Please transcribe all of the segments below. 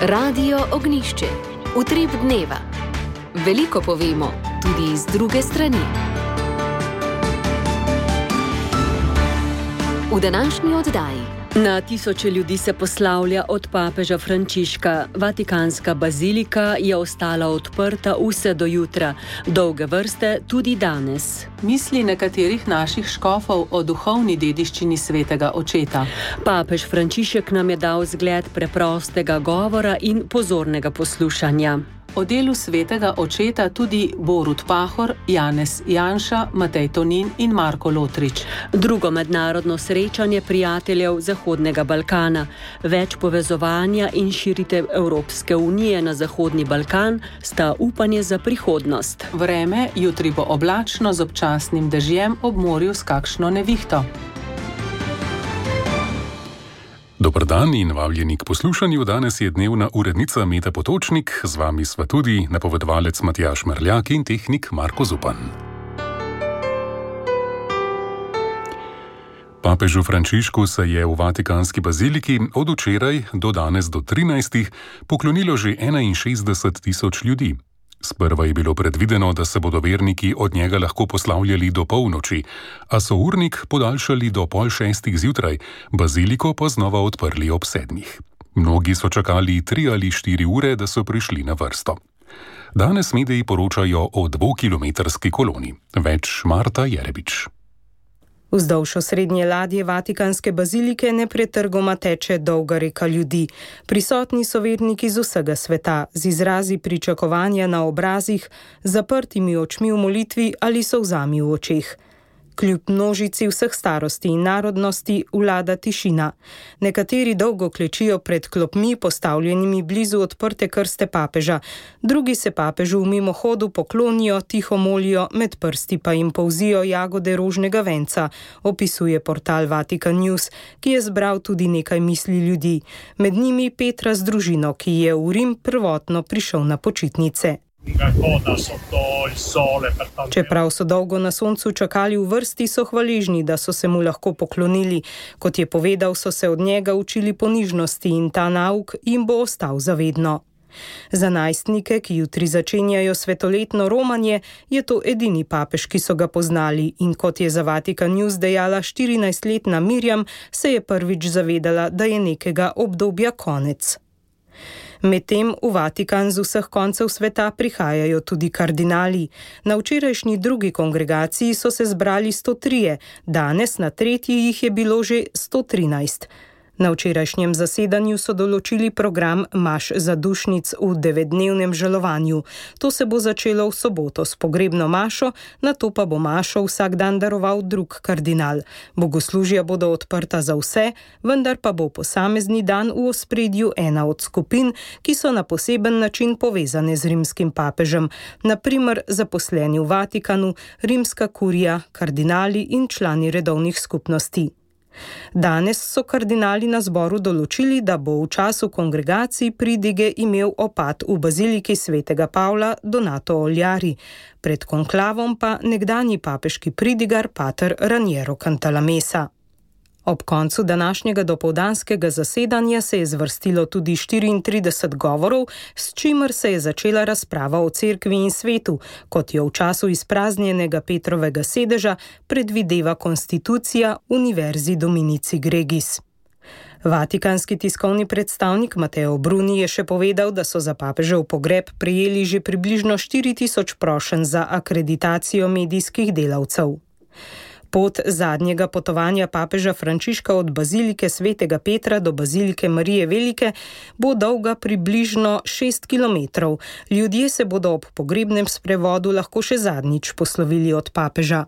Radio Ognjišče. Utrip dneva. Veliko povemo, tudi iz druge strani. V današnji oddaji. Na tisoče ljudi se poslavlja od papeža Frančiška. Vatikanska bazilika je ostala odprta vse do jutra, dolge vrste tudi danes. Misli nekaterih naših škofov o duhovni dediščini svetega očeta. Papež Frančišek nam je dal zgled preprostega govora in pozornega poslušanja. O delu svetega očeta tudi Borut Pahor, Janez Janša, Matej Tonin in Marko Lotrič. Drugo mednarodno srečanje prijateljev Zahodnega Balkana. Več povezovanja in širitev Evropske unije na Zahodni Balkan sta upanje za prihodnost. Vreme jutri bo oblačno z občasnim dežjem, ob morju s kakšno nevihto. Dober dan in vabljeni k poslušanju. Danes je dnevna urednica Meta Potočnik, z vami sva tudi napovedovalec Matjaž Merljak in tehnik Marko Zupan. Papežu Frančišku se je v Vatikanski baziliki od včeraj do danes do 13. poklonilo že 61 tisoč ljudi. Sprva je bilo predvideno, da se bodo verniki od njega lahko poslavljali do polnoči, a so urnik podaljšali do 5:30 zjutraj, baziliko pa znova odprli ob 7. Mnogi so čakali 3 ali 4 ure, da so prišli na vrsto. Danes mediji poročajo o 2-kilometrski koloni. Več Marta Jerebič. Vzdolž osrednje ladje Vatikanske bazilike nepretrgoma teče dolga reka ljudi. Prisotni so verniki z vsega sveta, z izrazi pričakovanja na obrazih, zaprtimi očmi v molitvi ali solzami v očeh. Kljub množici vseh starosti in narodnosti vlada tišina. Nekateri dolgo klečijo pred klopmi, postavljenimi blizu odprte krste papeža. Drugi se papežu v mimohodu poklonijo, tiho molijo, med prsti pa jim polzijo jagode rožnega venca, opisuje portal Vatican News, ki je zbral tudi nekaj misli ljudi. Med njimi Petra z družino, ki je v Rim prvotno prišel na počitnice. Čeprav so dolgo na soncu čakali v vrsti, so hvaležni, da so se mu lahko poklonili. Kot je povedal, so se od njega učili ponižnosti in ta nauk jim bo ostal zavedno. Za najstnike, ki jutri začenjajo svetoletno romanje, je to edini papež, ki so ga poznali, in kot je za Vatican News dejala 14-letna Mirjam, se je prvič zavedala, da je nekega obdobja konec. Medtem v Vatikan z vseh koncev sveta prihajajo tudi kardinali. Na včerajšnji drugi kongregaciji so se zbrali 103, danes na tretji jih je bilo že 113. Na včerajšnjem zasedanju so določili program maš zadušnic v 9-dnevnem žalovanju. To se bo začelo v soboto s pogrebno mašo, nato pa bo mašo vsak dan daroval drug kardinal. Bogoslužja bodo odprta za vse, vendar pa bo posamezni dan v ospredju ena od skupin, ki so na poseben način povezane z rimskim papežem, na primer zaposleni v Vatikanu, rimska kurija, kardinali in člani redovnih skupnosti. Danes so kardinali na zboru določili, da bo v času kongregacij pridige imel opad v baziliki svetega Pavla Donato Oljari, pred konklavom pa nekdanji papeški pridigar pater Raniero Cantalamessa. Ob koncu današnjega dopoldanskega zasedanja se je zvrstilo tudi 34 govorov, s čimer se je začela razprava o cerkvi in svetu, kot jo v času izpraznjenega Petrovega sedeža predvideva konstitucija Univerzi Dominici Gregis. Vatikanski tiskovni predstavnik Matteo Bruni je še povedal, da so za papežev pogreb prejeli že približno 4000 prošenj za akreditacijo medijskih delavcev. Pot zadnjega potovanja papeža Frančiška od bazilike svetega Petra do bazilike Marije Velike bo dolga približno 6 kilometrov. Ljudje se bodo ob pogrebnem sprevodu lahko še zadnjič poslovili od papeža.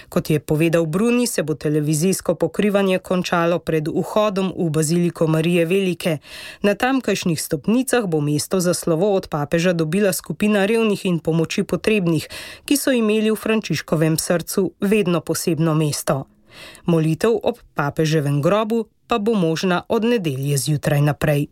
Kot je povedal Bruni, se bo televizijsko pokrivanje končalo pred vhodom v baziliko Marije Velike. Na tamkajšnjih stopnicah bo mesto za slovo od papeža dobila skupina revnih in pomoči potrebnih, ki so imeli v Frančiškovem srcu vedno posebno mesto. Molitev ob papeževem grobu pa bo možna od nedelje zjutraj naprej.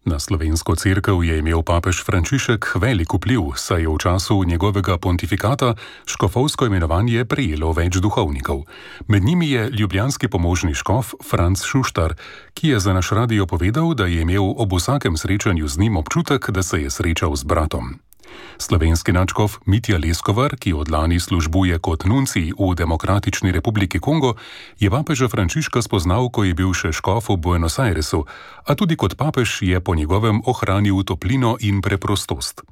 Na slovensko cerkev je imel papež Frančišek velik vpliv, saj je v času njegovega pontifikata škofovsko imenovanje prejelo več duhovnikov. Med njimi je ljubljanski pomožni škof Franc Šuštar, ki je za naš radio povedal, da je imel ob vsakem srečanju z njim občutek, da se je srečal z bratom. Slovenski nadškof Mitja Leskovar, ki od lani službuje kot nuncij v Demokratični republiki Kongo, je papeža Frančiška spoznal, ko je bil še škof v Buenos Airesu, a tudi kot papež je po njegovem ohranil toplino in preprostost.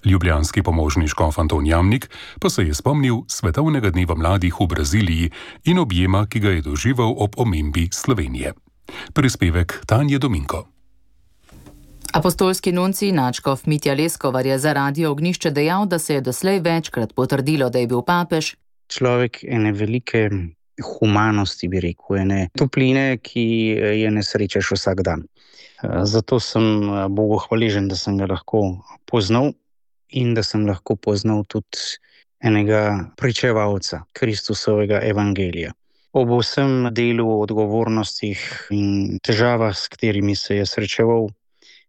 Ljubljanski pomožni škof Anton Jamnik pa se je spomnil Svetovnega dneva mladih v Braziliji in objema, ki ga je doživel ob omembi Slovenije. Prispevek Tanje Dominko. Apostolski nuncij nadškof Mitja Leskovar je za Radio Ognjišče dejal, da se je doslej večkrat potrdilo, da je bil papež človek ene velike humanosti, bi rekel, ene topline, ki je ne srečaš vsak dan. Zato sem Bogu hvaležen, da sem ga lahko poznal in da sem lahko poznal tudi enega pričevalca Kristusovega evangelija. Ob vsem delu, odgovornostih in težavah, s katerimi se je srečeval,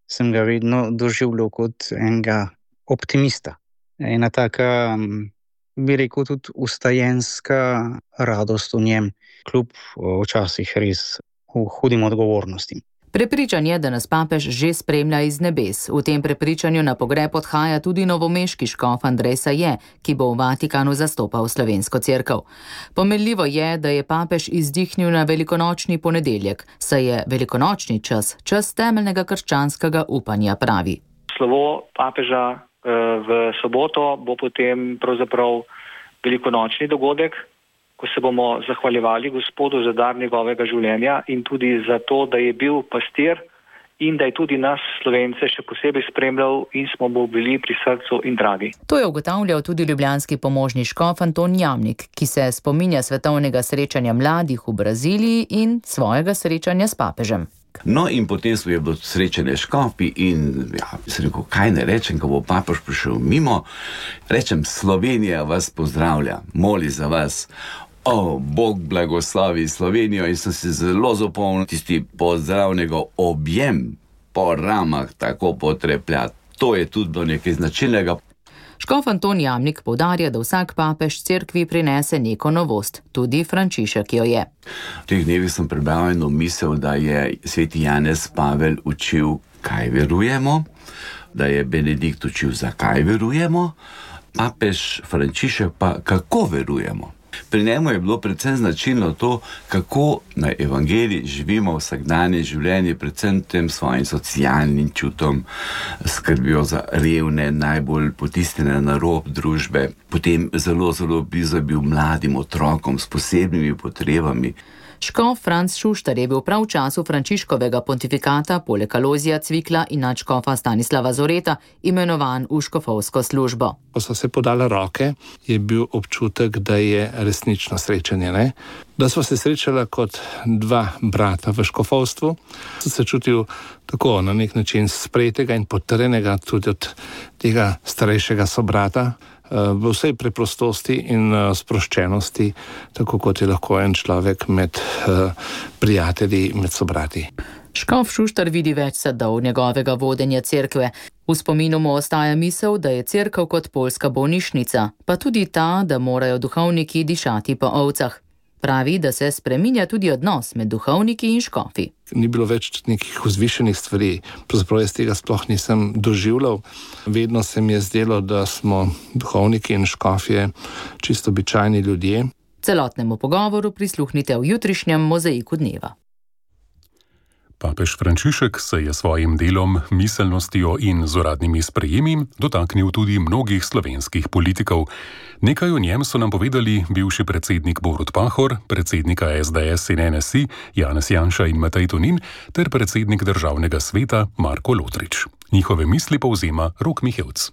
sem ga vedno doživljal kot enega optimista. Ena taka, bi rekel, tudi ustajenska radost v njem, kljub včasih res hudim odgovornostim. Prepričan je, da nas papež že spremlja iz nebes. V tem prepričanju na pogreb odhaja tudi novomeški škof Andrej Saje, ki bo v Vatikanu zastopal slovensko cerkev. Pomenljivo je, da je papež izdihnil na velikonočni ponedeljek, saj je velikonočni čas temeljnega krščanskega upanja, pravi. Slovo papeža v soboto bo potem pravzaprav velikonočni dogodek, ko se bomo zahvaljevali Gospodu za dar njegovega življenja in tudi za to, da je bil pastir in da je tudi nas, Slovence, še posebej spremljal in smo mu bili pri srcu in dragi. To je ugotavljal tudi ljubljanski pomožni škof Anton Jamnik, ki se spominja svetovnega srečanja mladih v Braziliji in svojega srečanja s papežem. No in potem smo je bilo srečanje škofi in sem rekel, kaj ne rečem, ko bo papež prišel mimo. Rečem, Slovenija vas pozdravlja, moli za vas. Bog blagoslovi Slovenijo in sem se zelo zapomnil tisti pozdravnega objem po ramah tako potrepljati. To je tudi bilo nekaj značilnega. Škof Anton Jamnik poudarja, da vsak papež cerkvi prinese neko novost, tudi Frančišek jo je. V teh dnevih sem prebral eno misel, da je sveti Janez Pavel učil, kaj verujemo, da je Benedikt učil, zakaj verujemo, papež Frančišek pa kako verujemo. Pri njemu je bilo predvsem značilno to, kako na evangeliji živimo vsakdanje življenje, predvsem tem svojim socialnim čutom, skrbijo za revne, najbolj potisnjene na rob družbe, potem zelo blizu bil mladim otrokom s posebnimi potrebami. Škof Franc Šuštar je bil prav v času Frančiškovega pontifikata poleg Alojzija Cvikla in nadškofa Stanislava Zoreta imenovan v škofovsko službo. Ko so se podale roke, je bil občutek, da je resnično srečanje, ne? Da smo se srečala kot dva brata v škofovstvu. Sem se čutil tako na nek način sprejetega in potrjenega tudi od tega starejšega sobrata, v vsej preprostosti in sproščenosti, tako kot je lahko en človek med prijatelji, med sobrati. Škof Šuštar vidi več sadov njegovega vodenja cerkve. V spominu mu ostaja misel, da je cerkev kot poljska bolnišnica, pa tudi ta, da morajo duhovniki dišati po ovcah. Pravi, da se spreminja tudi odnos med duhovniki in škofi. Ni bilo več nekih vzvišenih stvari, pravzaprav jaz tega sploh nisem doživljal. Vedno se mi je zdelo, da smo duhovniki in škofje čisto običajni ljudje. Celotnemu pogovoru prisluhnite v jutrišnjem Mozaiku dneva. Papež Frančišek se je svojim delom, miselnostjo in z uradnimi sprejemi dotaknil tudi mnogih slovenskih politikov. Nekaj o njem so nam povedali bivši predsednik Borut Pahor, predsednika SDS in NSI Janez Janša in Matej Tonin ter predsednik državnega sveta Marko Lotrič. Njihove misli povzema Rok Mihevc.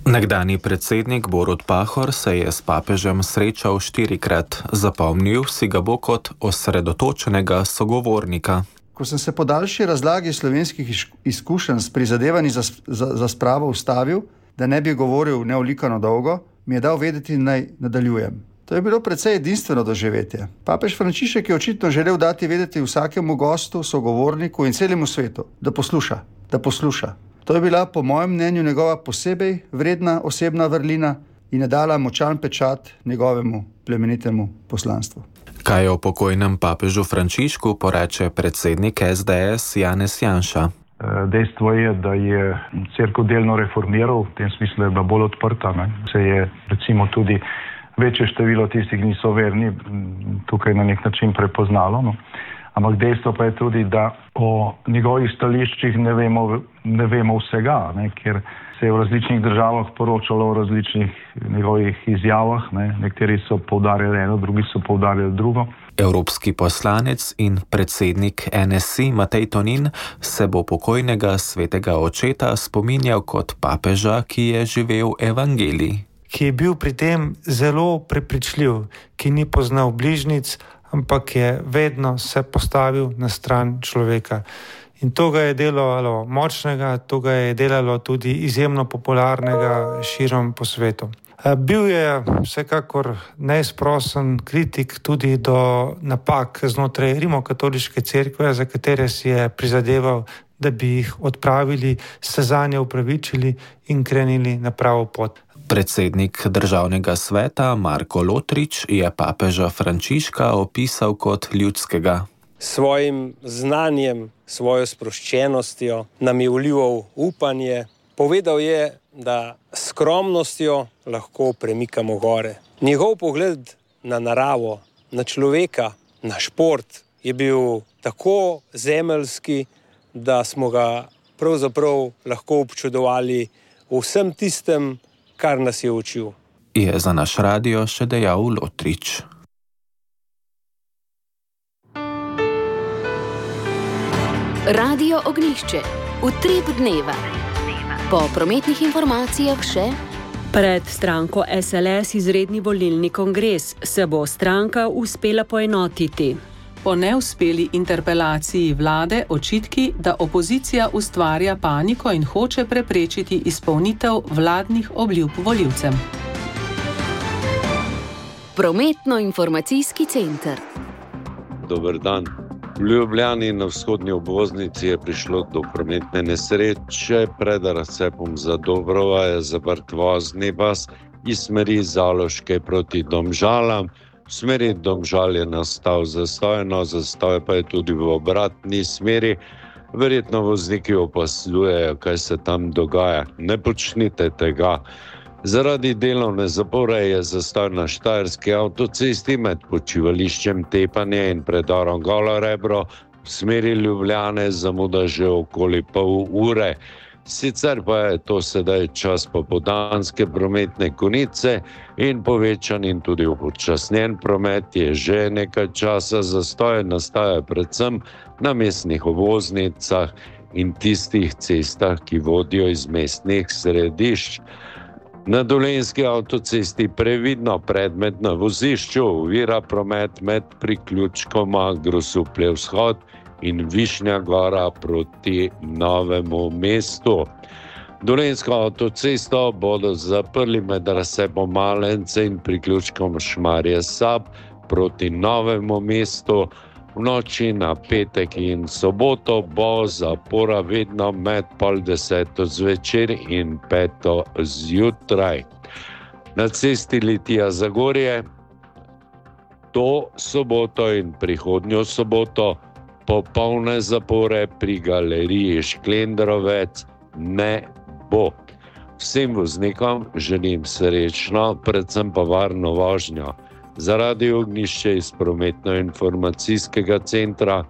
Nekdanji predsednik Borut Pahor se je s papežem srečal 4-krat. Zapomnil si ga bo kot osredotočenega sogovornika. Ko sem se po daljši razlagi slovenskih izkušenj s prizadevanji za spravo ustavil, da ne bi govoril neolikano dolgo, mi je dal vedeti, naj nadaljujem. To je bilo precej edinstveno doživetje. Papež Frančišek je očitno želel dati vedeti vsakemu gostu, sogovorniku in celemu svetu, da posluša, da posluša. To je bila po mojem mnenju njegova posebej vredna osebna vrlina in je dala močan pečat njegovemu plemenitemu poslanstvu. Kaj o pokojnem papežu Frančišku poreče predsednik SDS Janez Janša? Dejstvo je, da je cerkev delno reformiral, v tem smislu je bila bolj odprta. Se je recimo tudi večje število tistih, ki niso verni, tukaj na nek način prepoznalo. Ampak dejstvo pa je tudi, da o njegovih stališčih ne vemo vsega, ker se je v različnih državah poročalo o različnih njegovih izjavah. Nekateri so poudarjali eno, drugi so poudarjali drugo. Evropski poslanec in predsednik NSI Matej Tonin se bo pokojnega svetega očeta spominjal kot papeža, ki je živel evangelij. Ki je bil pri tem zelo prepričljiv, ki ni poznal bližnjic, ampak je vedno se postavil na stran človeka. In to ga je delalo močnega, to ga je delalo tudi izjemno popularnega širom po svetu. Bil je vsekakor neizprosen kritik tudi do napak znotraj Rimokatoliške cerkve, za katere si je prizadeval, da bi jih odpravili, se zanje upravičili in krenili na pravo pot. Predsednik državnega sveta Marko Lotrič je papeža Frančiška opisal kot ljudskega. Svojim znanjem, svojo sproščenostjo nam je vlival upanje. Povedal je, da s skromnostjo lahko premikamo gore. Njegov pogled na naravo, na človeka, na šport je bil tako zemeljski, da smo ga pravzaprav lahko občudovali v vsem tistem, kar nas je učil. Je za naš radio še dejal Lotrič. Radio Ognjišče. Utrip dneva. Po prometnih informacijah še. Pred stranko SLS izredni volilni kongres se bo stranka uspela poenotiti. Po neuspeli interpelaciji vlade očitki, da opozicija ustvarja paniko in hoče preprečiti izpolnitev vladnih obljub volivcem. Prometno-informacijski center. Dober dan. V Ljubljani na vzhodni obvoznici je prišlo do prometne nesreče. Pred razcepom za Dobrova je zaprt vozni pas iz smeri Zaloške proti Domžalam. V smeri Domžal je nastal zastoj, zastoj pa je tudi v obratni smeri. Verjetno vozniki opazdujejo, kaj se tam dogaja. Ne počnite tega. Zaradi delovne zapore je zastoj na Štajerski avtocesti med počivališčem Tepanje in predorom Golo Rebro. V smeri Ljubljane zamuda že okoli pol ure. Sicer pa je to sedaj čas popoldanske prometne konice in povečan in tudi upočasnjen promet je že nekaj časa. Zastoje nastaja predvsem na mestnih obvoznicah in tistih cestah, ki vodijo iz mestnih središč. Na Dolenjski avtocesti previdno predmet na vozišču ovira promet med priključkoma Grosuplje vzhod in Višnja Gora proti Novemu mestu. Dolenjsko avtocesto bodo zaprli med razcepom Malence in priključkom Šmarje Sab proti Novemu mestu. V noči na petek in soboto bo zapora vedno med 9:30 zvečer in 5 zjutraj. Na cesti Litija-Zagorje to soboto in prihodnjo soboto popolne zapore pri galeriji Šklendrovec ne bo. Vsem voznikom želim srečno, predvsem pa varno vožnjo. Za Radio Ognjišče iz prometno-informacijskega centra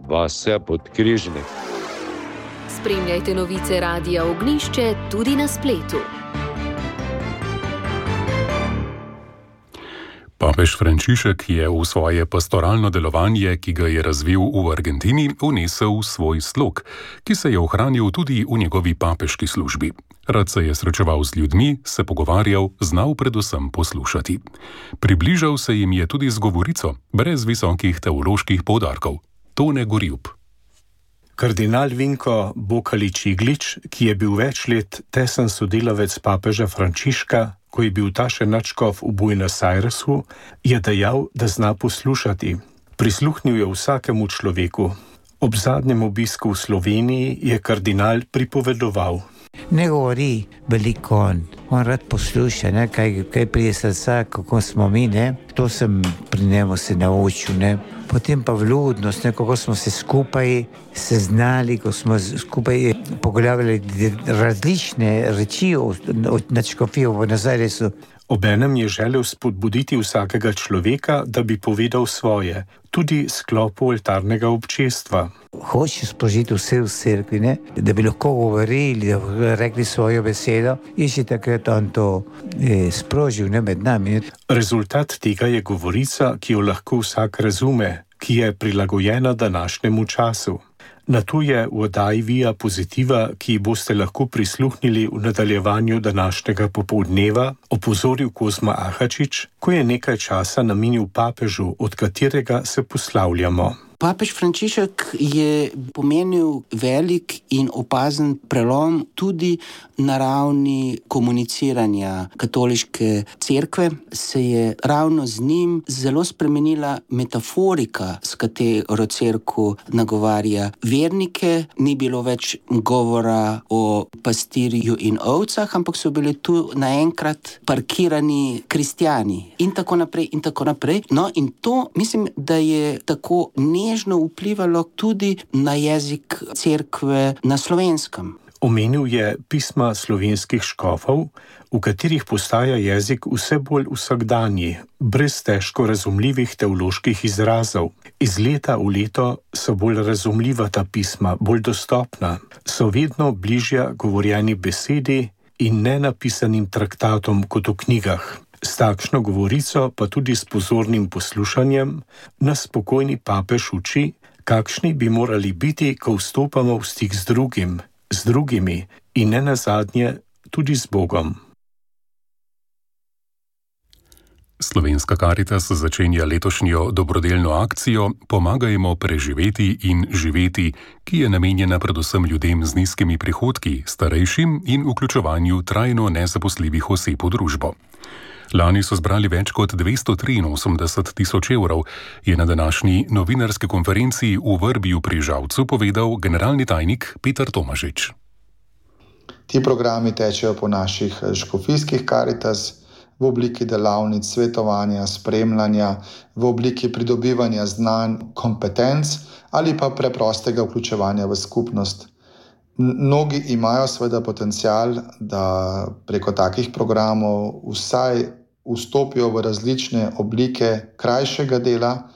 Vasja Podkrižnik. Spremljajte novice Radia Ognjišče tudi na spletu. Papež Frančišek je v svoje pastoralno delovanje, ki ga je razvil v Argentini, vnesel svoj slog, ki se je ohranil tudi v njegovi papeški službi. Rad se je srečeval z ljudmi, se pogovarjal, znal predvsem poslušati. Približal se jim je tudi z govorico, brez visokih teoloških poudarkov. Tone Gorjup. Kardinal Vinko Bokalič-Iglič, ki je bil več let tesen sodelavec papeža Frančiška, ko je bil ta še nadškof v Buenos Airesu, je dejal, da zna poslušati. Prisluhnil je vsakemu človeku. Ob zadnjem obisku v Sloveniji je kardinal pripovedoval. Ne govori veliko on rad posluša, ne, kaj prije srca, kako smo mi, ne. To sem pri njemu se naučil, ne. Potem pa vljudnost, ne, kako smo se skupaj seznali, ko smo skupaj pogovarjali različne reči od nadškofijo v Nazaresu. Obenem je želel spodbuditi vsakega človeka, da bi povedal svoje, tudi sklopu oltarnega občestva. Hoče sprožiti vse v cerkvi, ne? Da bi lahko govorili, da bi rekli svojo besedo in še takrat on to sprožil, ne, med nami. Rezultat tega je govorica, ki jo lahko vsak razume, ki je prilagojena današnjemu času. Na to je v oddaji Via Positiva, ki boste lahko prisluhnili v nadaljevanju današnjega popoldneva, opozoril Kozma Ahačič, ko je nekaj časa namenil papežu, od katerega se poslavljamo. Papež Frančišek je pomenil velik in opazen prelom tudi na ravni komuniciranja katoliške cerkve. Se je ravno z njim zelo spremenila metaforika, s katero cerkev nagovarja vernike. Ni bilo več govora o pastirju in ovcah, ampak so bili tu naenkrat parkirani kristjani in tako naprej in tako naprej. No, in to mislim, da je tako nežno vplivalo tudi na jezik cerkve na Slovenskem. Omenil je pisma slovenskih škofov, v katerih postaja jezik vse bolj vsakdanji, brez težko razumljivih teoloških izrazov. Iz leta v leto so bolj razumljiva ta pisma, bolj dostopna, so vedno bližja govorjeni besedi in nenapisanim traktatom kot v knjigah. S takšno govorico, pa tudi s pozornim poslušanjem, nas pokojni papež uči, kakšni bi morali biti, ko vstopamo v stik z drugimi in ne nazadnje tudi z Bogom. Slovenska Karitas začenja letošnjo dobrodelno akcijo Pomagajmo preživeti in živeti, ki je namenjena predvsem ljudem z nizkimi prihodki, starejšim in vključevanju trajno nezaposljivih oseb v družbo. Lani so zbrali več kot 283 tisoč evrov, je na današnji novinarski konferenci v Vrbiju pri Žalcu povedal generalni tajnik Peter Tomažič. Ti programi tečejo po naših škofijskih Karitas v obliki delavnic, svetovanja, spremljanja, v obliki pridobivanja znanj, kompetenc ali pa preprostega vključevanja v skupnost. Mnogi imajo seveda potencial, da preko takih programov vsaj vstopijo v različne oblike krajšega dela,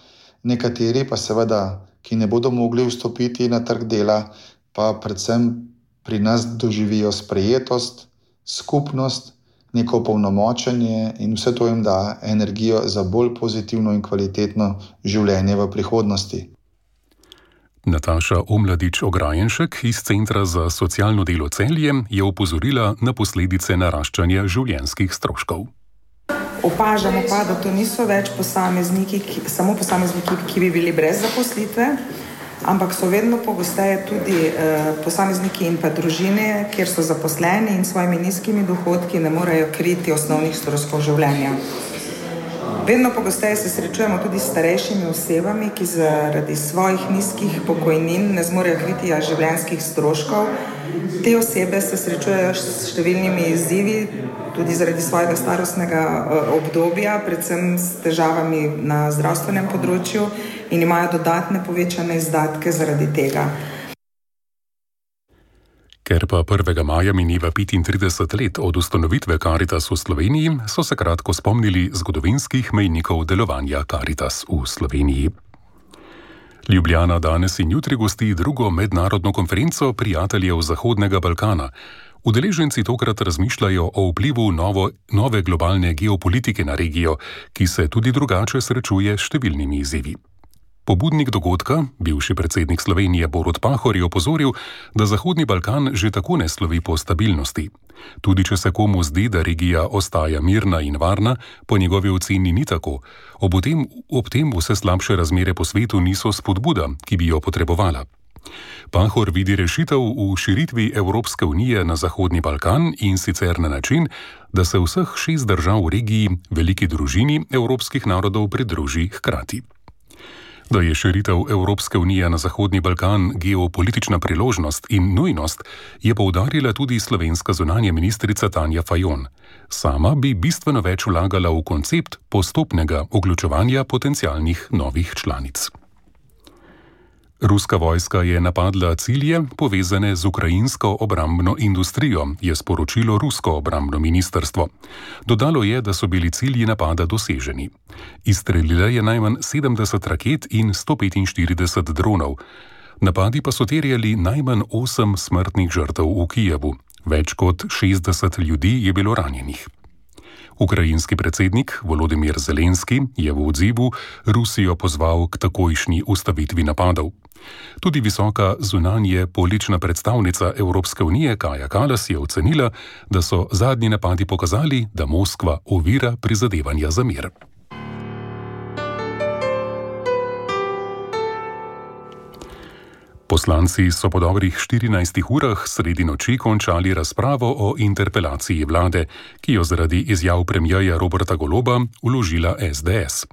nekateri pa seveda, ki ne bodo mogli vstopiti na trg dela, pa predvsem pri nas doživijo sprejetost, skupnost, neko polnomočenje in vse to jim da energijo za bolj pozitivno in kvalitetno življenje v prihodnosti. Nataša Omladič-Ograjenšek iz Centra za socialno delo Celje je opozorila na posledice naraščanja življenjskih stroškov. Opažamo pa, da to niso več samo posamezniki, ki bi bili brez zaposlitve, ampak so vedno pogosteje tudi posamezniki in pa družine, kjer so zaposleni in s svojimi nizkimi dohodki ne morejo kriti osnovnih stroškov življenja. Vedno pogosteje se srečujemo tudi s starejšimi osebami, ki zaradi svojih nizkih pokojnin ne zmorejo kriti življenjskih stroškov. Te osebe se srečujejo s številnimi izzivi, tudi zaradi svojega starostnega obdobja, predvsem s težavami na zdravstvenem področju in imajo dodatne povečane izdatke zaradi tega. Ker pa 1. maja mineva 35 let od ustanovitve Karitas v Sloveniji, so se kratko spomnili zgodovinskih mejnikov delovanja Karitas v Sloveniji. Ljubljana danes in jutri gosti drugo mednarodno konferenco prijateljev Zahodnega Balkana. Udeleženci tokrat razmišljajo o vplivu nove globalne geopolitike na regijo, ki se tudi drugače srečuje s številnimi izzivi. Pobudnik dogodka, bivši predsednik Slovenije Borut Pahor, je opozoril, da Zahodni Balkan že tako ne slovi po stabilnosti. Tudi če se komu zdi, da regija ostaja mirna in varna, po njegovi oceni ni tako. Ob tem vse slabše razmere po svetu niso spodbuda, ki bi jo potrebovala. Pahor vidi rešitev v širitvi Evropske unije na Zahodni Balkan in sicer na način, da se vseh 6 držav v regiji, veliki družini evropskih narodov, pridruži hkrati. Da je širitev Evropske unije na Zahodni Balkan geopolitična priložnost in nujnost, je poudarila tudi slovenska zunanja ministrica Tanja Fajon. Sama bi bistveno več vlagala v koncept postopnega vključevanja potencialnih novih članic. Ruska vojska je napadla cilje, povezane z ukrajinsko obrambno industrijo, je sporočilo rusko obrambno ministrstvo. Dodalo je, da so bili cilji napada doseženi. Izstrelila je najmanj 70 raket in 145 dronov. Napadi pa so terjali najmanj 8 smrtnih žrtev v Kijevu. Več kot 60 ljudi je bilo ranjenih. Ukrajinski predsednik Volodymyr Zelenski je v odzivu Rusijo pozval k takojšnji ustavitvi napadov. Tudi visoka zunanje politična predstavnica Evropske unije Kaja Kallas je ocenila, da so zadnji napadi pokazali, da Moskva ovira prizadevanja za mir. Poslanci so po dobrih 14 urah sredi noči končali razpravo o interpelaciji vlade, ki jo zaradi izjav premierja Roberta Goloba vložila SDS.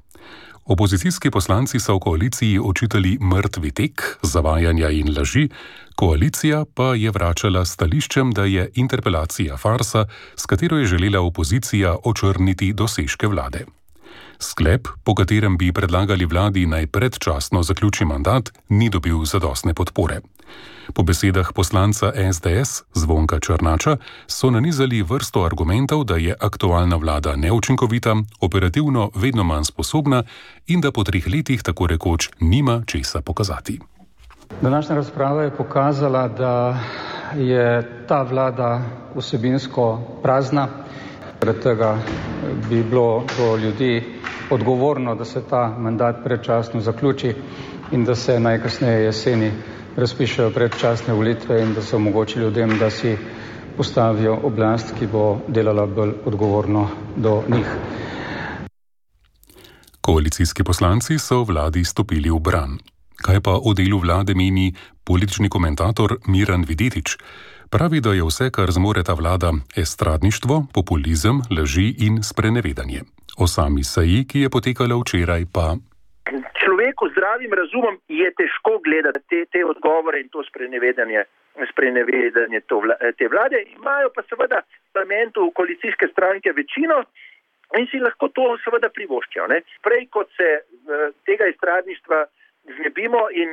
Opozicijski poslanci so v koaliciji očitali mrtvi tek, zavajanja in laži, koalicija pa je vračala stališčem, da je interpelacija farsa, s katero je želela opozicija očrniti dosežke vlade. Sklep, po katerem bi predlagali vladi naj predčasno zaključi mandat, ni dobil zadostne podpore. Po besedah poslanca SDS Zvonka Črnača so nanizali vrsto argumentov, da je aktualna vlada neučinkovita, operativno vedno manj sposobna in da po 3 letih tako rekoč nima česa pokazati. Današnja razprava je pokazala, da je ta vlada vsebinsko prazna. Zaradi tega bi bilo do ljudi odgovorno, da se ta mandat predčasno zaključi in da se najkasneje jeseni razpišejo predčasne volitve in da se omogoči ljudem, da si postavijo oblast, ki bo delala bolj odgovorno do njih. Koalicijski poslanci so vladi stopili v bran. Kaj pa o delu vlade meni politični komentator Miran Videtič? Pravi, da je vse, kar zmore ta vlada, estradništvo, populizem, laži in sprenevedanje. O sami seji, ki je potekala včeraj, pa... Človeku z zdravim razumom je težko gledati te odgovore in to sprenevedanje te vlade. Imajo pa seveda v parlamentu koalicijske stranke večino in si lahko to seveda privoščijo. Prej kot se tega estradništva znebimo in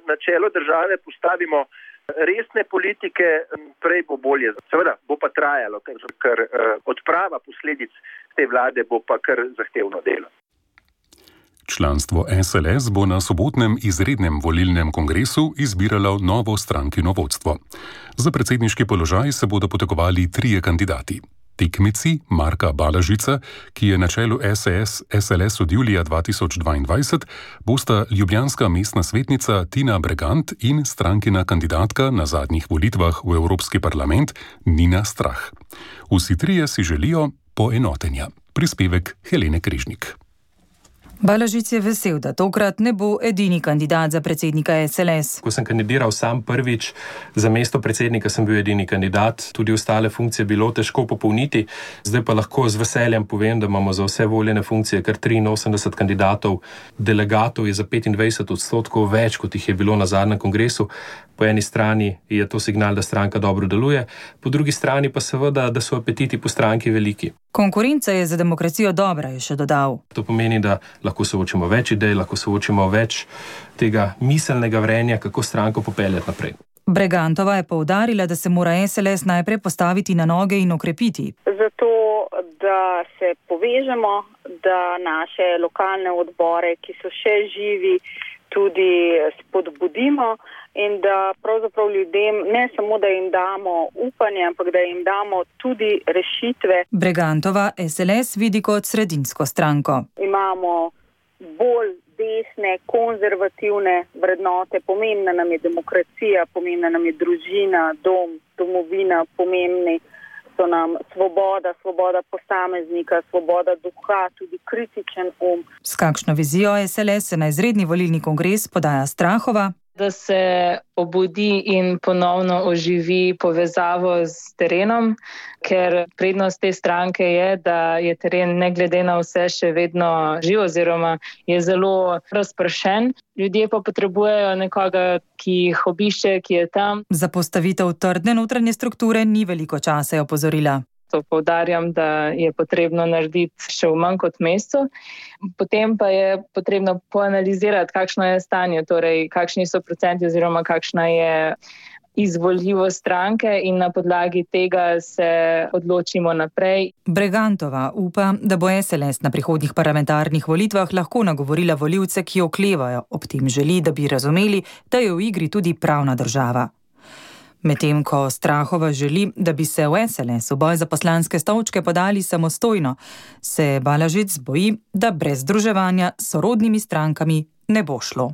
na čelo države postavimo resne politike, prej bo bolje. Seveda bo pa trajalo, ker odprava posledic te vlade bo pa kar zahtevno delo. Članstvo SLS bo na sobotnem izrednem volilnem kongresu izbiralo novo strankino vodstvo. Za predsedniški položaj se bodo potegovali 3 kandidati. Tekmici Marka Balažica, ki je na čelu SLS od julija 2022, bosta ljubljanska mestna svetnica Tina Bregant in strankina kandidatka na zadnjih volitvah v Evropski parlament Nina Strah. Vsi 3 si želijo poenotenja. Prispevek Helene Križnik. Balažic je vesel, da tokrat ne bo edini kandidat za predsednika SLS. Ko sem kandidiral sam prvič za mesto predsednika, sem bil edini kandidat. Tudi ostale funkcije bilo težko popolniti. Zdaj pa lahko z veseljem povem, da imamo za vse voljene funkcije kar 83 kandidatov. Delegatov je za 25% več, kot jih je bilo na zadnjem kongresu. Po eni strani je to signal, da stranka dobro deluje, po drugi strani pa seveda, da so apetiti po stranki veliki. Konkurenca je za demokracijo dobra, je še dodal. To pomeni, da lahko soočimo več idej, lahko soočimo več tega miselnega vrenja, kako stranko popeljati naprej. Bregantova je poudarila, da se mora SLS najprej postaviti na noge in okrepiti. Zato, da se povežemo, da naše lokalne odbore, ki so še živi, tudi spodbudimo in da pravzaprav ljudem ne samo, da jim damo upanje, ampak da jim damo tudi rešitve. Bregantova SLS vidi kot sredinsko stranko. Imamo bolj desne, konzervativne vrednote, pomembna nam je demokracija, pomembna nam je družina, dom, domovina, pomembni so nam svoboda posameznika, svoboda duha, tudi kritičen S kakšno vizijo SLS se na izredni volilni kongres podaja Strahova? da se obudi in ponovno oživi povezavo s terenom, ker prednost te stranke je, da je teren ne glede na vse še vedno živ oziroma je zelo razpršen. Ljudje pa potrebujejo nekoga, ki jih obišče, ki je tam. Za postavitev trdne notranje strukture ni veliko časa, je opozorila. To poudarjam, da je potrebno narediti še v manj kot mesecu. Potem pa je potrebno poanalizirati, kakšno je stanje, torej kakšni so procenti oziroma kakšna je izvoljivost stranke in na podlagi tega se odločimo naprej. Bregantova upa, da bo SLS na prihodnjih parlamentarnih volitvah lahko nagovorila volivce, ki oklevajo. Ob tem želi, da bi razumeli, da je v igri tudi pravna država. Medtem ko Strahova želi, da bi se v SLS v boj za poslanske stolčke podali samostojno, se Balažic boji, da brez združevanja s sorodnimi strankami ne bo šlo.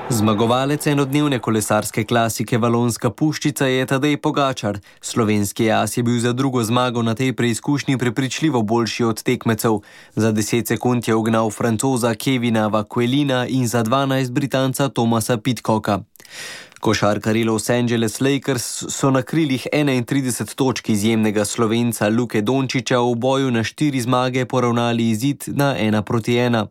Zmagovalec enodnevne kolesarske klasike Valonska puščica je Tadej Pogačar. Slovenski as je bil za drugo zmago na tej preizkušnji prepričljivo boljši od tekmecev. Za 10 sekund je ugnal Francoza Kevina Vaquelina in za 12 Britanca Thomasa Pidcocka. Košarkarji Los Angeles Lakers so na krilih 31 točk izjemnega Slovenca Luke Dončića v boju na 4 zmage poravnali izid na 1-1.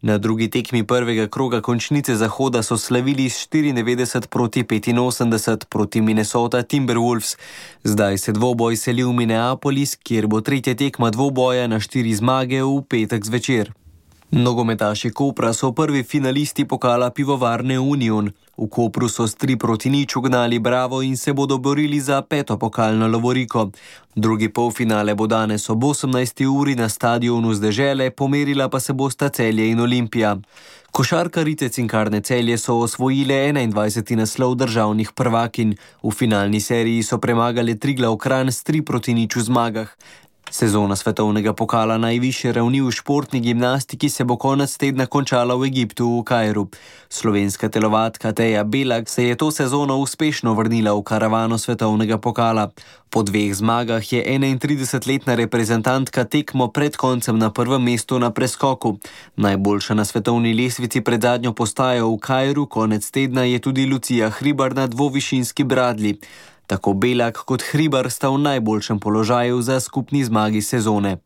Na drugi tekmi prvega kroga končnice Zahoda so slavili s 94-85 proti Minnesota Timberwolves. Zdaj se dvoboj seli v Minneapolis, kjer bo tretja tekma dvoboja na 4 zmage v petek zvečer. Nogometaši Kopra so prvi finalisti pokala pivovarne Union. V Kopru so s 3-0 ugnali Bravo in se bodo borili za 5. pokalno lovoriko. Drugi polfinale bo danes ob 18. uri na stadionu z Dežele, pomerila pa se bosta Celje in Olimpija. Košarkarice Cinkarne Celje so osvojile 21. naslov državnih prvakinj. V finalni seriji so premagale Triglav Kranj s 3-0 v zmagah. Sezona svetovnega pokala najvišje ravni v športni gimnastiki se bo konec tedna končala v Egiptu v Kairu. Slovenska telovadka Teja Belak se je to sezono uspešno vrnila v karavano svetovnega pokala. Po 2 zmagah je 31-letna reprezentantka tekmo pred koncem na prvem mestu na preskoku. Najboljša na svetovni lestvici pred zadnjo postajo v Kairu konec tedna je tudi Lucija Hribar na dvovišinski bradlji. Tako Belak kot Hribar sta v najboljšem položaju za skupni zmagi sezone.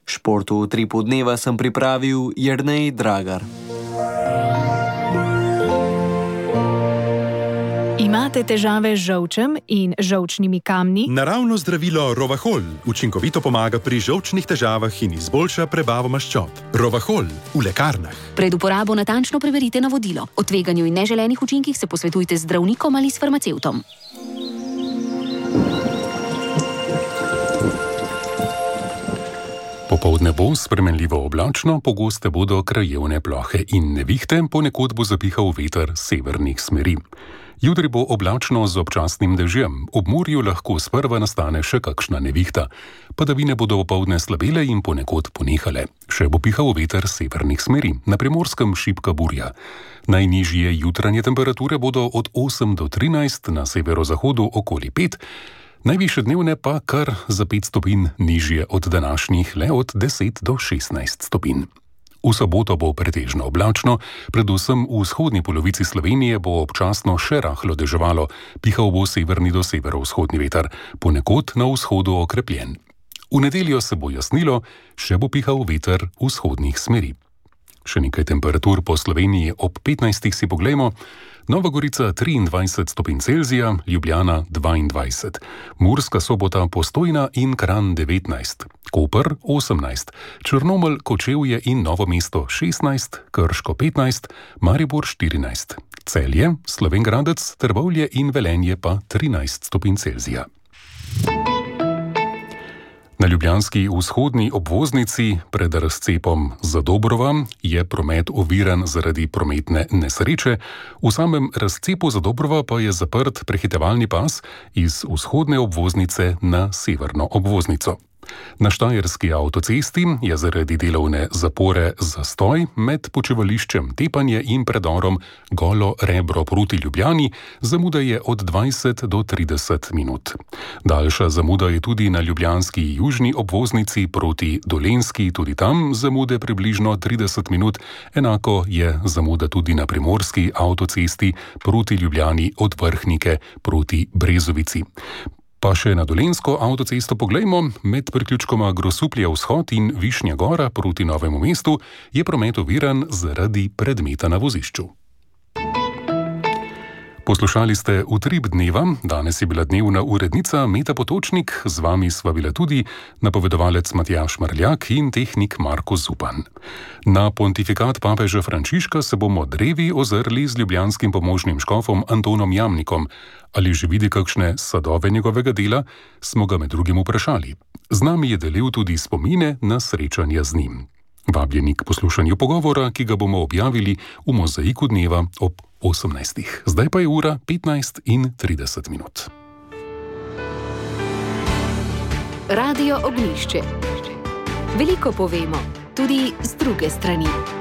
Športu v Tripu dneva sem pripravil Jernej Dragar. Imate težave z žolčem in žolčnimi kamni? Naravno zdravilo Rovahol učinkovito pomaga pri žolčnih težavah in izboljša prebavo maščob. Rovahol v lekarnah. Pred uporabo natančno preverite navodilo. O tveganju in neželenih učinkih se posvetujte z zdravnikom ali s farmacevtom. Popoldne bo spremenljivo oblačno, pogoste bodo krajevne plohe in nevihte, ponekod bo zapihal veter severnih smeri. Jutri bo oblačno z občasnim dežjem, ob morju lahko sprva nastane še kakšna nevihta. Padavine bodo opoldne slabele in ponekod ponehale. Še bo pihal veter severnih smeri, na Primorskem šibka burja. Najnižje jutranje temperature bodo od 8 do 13, na severozahodu okoli 5, najvišje dnevne pa kar za 5 stopinj nižje od današnjih, le od 10 do 16 stopinj. V soboto bo pretežno oblačno, predvsem v vzhodni polovici Slovenije bo občasno še rahlo deževalo, pihal bo severni do severovzhodni veter, ponekod na vzhodu okrepljen. V nedeljo se bo jasnilo, še bo pihal veter vzhodnih smeri. Še nekaj temperatur po Sloveniji ob 15 si poglejmo. Nova Gorica 23 stopinj Celzija, Ljubljana 22, Murska Sobota, Postojna in Kranj 19, Koper 18, Črnomelj, Kočevje in Novo mesto 16, Krško 15, Maribor 14, Celje, Slovenj Gradec, Trbovlje in Velenje pa 13 stopinj Celzija. Na ljubljanski vzhodni obvoznici pred razcepom Zadobrova je promet oviran zaradi prometne nesreče, v samem razcepu Zadobrova pa je zaprt prehitevalni pas iz vzhodne obvoznice na severno obvoznico. Na Štajerski avtocesti je zaradi delovne zapore zastoj med počivališčem Tepanje in predorom Golo Rebro proti Ljubljani, zamuda je od 20 do 30 minut. Daljša zamuda je tudi na ljubljanski južni obvoznici proti Dolenjski, tudi tam zamude približno 30 minut, enako je zamuda tudi na primorski avtocesti proti Ljubljani od Vrhnike proti Brezovici. Pa še na Dolenjsko avtocesto poglejmo, med priključkoma Grosuplje vzhod in Višnja Gora proti Novemu mestu je promet oviran zaradi predmeta na vozišču. Poslušali ste Utrip dneva, danes je bila dnevna urednica Meta Potočnik, z vami sva bila tudi napovedovalec Matjaž Marljak in tehnik Marko Zupan. Na pontifikat papeža Frančiška se bomo drevi ozrli z ljubljanskim pomožnim škofom Antonom Jamnikom. Ali že vidi kakšne sadove njegovega dela, smo ga med drugim vprašali. Z nami je delil tudi spomine na srečanja z njim. Vabljeni k poslušanju pogovora, ki ga bomo objavili v Mozaiku dneva ob 18. Zdaj pa je ura 15:30. Radio Ognjišče. Veliko povemo, tudi z druge strani.